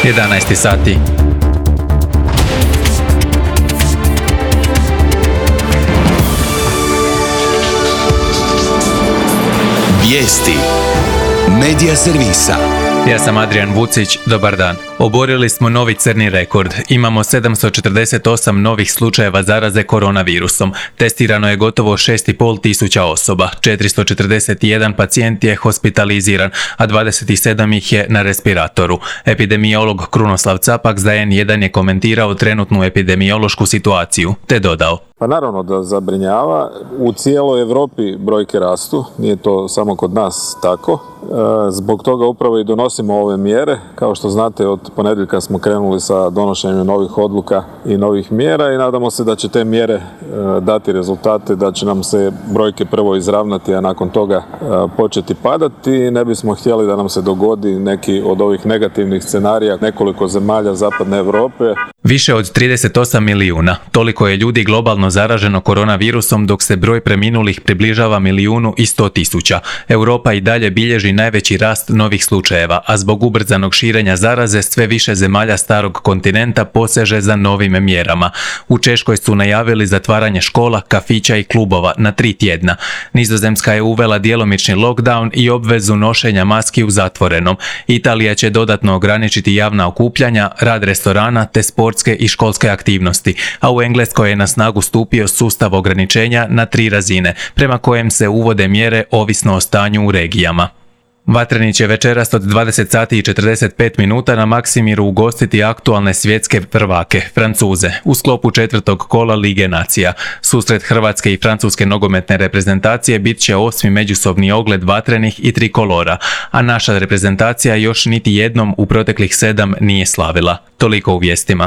11 sati. Vijesti Medija servisa. Ja sam Adrian Vucić, dobar dan. Oborili smo novi crni rekord. Imamo 748 novih slučajeva zaraze koronavirusom. Testirano je gotovo 6,5 tisuća osoba. 441 pacijent je hospitaliziran, a 27 ih je na respiratoru. Epidemiolog Krunoslav Capak za N1 je komentirao trenutnu epidemiološku situaciju, te dodao: Pa naravno da zabrinjava. U cijeloj Europi brojke rastu, nije to samo kod nas tako. Zbog toga upravo i donosimo ove mjere. Kao što znate, od ponedjeljka smo krenuli sa donošenjem novih odluka i novih mjera i nadamo se da će te mjere dati rezultate, da će nam se brojke prvo izravnati, a nakon toga početi padati. Ne bismo htjeli da nam se dogodi neki od ovih negativnih scenarija nekoliko zemalja zapadne Europe. Više od 38 milijuna. Toliko je ljudi globalno zaraženo koronavirusom, dok se broj preminulih približava 1.100.000. Europa i dalje bilježi najveći rast novih slučajeva, a zbog ubrzanog širenja zaraze sve više zemalja starog kontinenta poseže za novim mjerama. U Češkoj su najavili zatvaranje škola, kafića i klubova na 3 tjedna. Nizozemska je uvela djelomični lockdown i obvezu nošenja maski u zatvorenom. Italija će dodatno ograničiti javna okupljanja, rad restorana te sportske i školske aktivnosti, a u Engleskoj je na snagu stupio sustav ograničenja na 3 razine, prema kojem se uvode mjere ovisno o stanju u regijama. Vatreni će večeras od 20 sati i 45 minuta na Maksimiru ugostiti aktualne svjetske prvake, Francuze, u sklopu 4. kola Lige nacija. Susret Hrvatske i Francuske nogometne reprezentacije bit će 8. međusobni ogled vatrenih i trikolora, a naša reprezentacija još niti jednom u proteklih 7 nije slavila. Toliko u vijestima.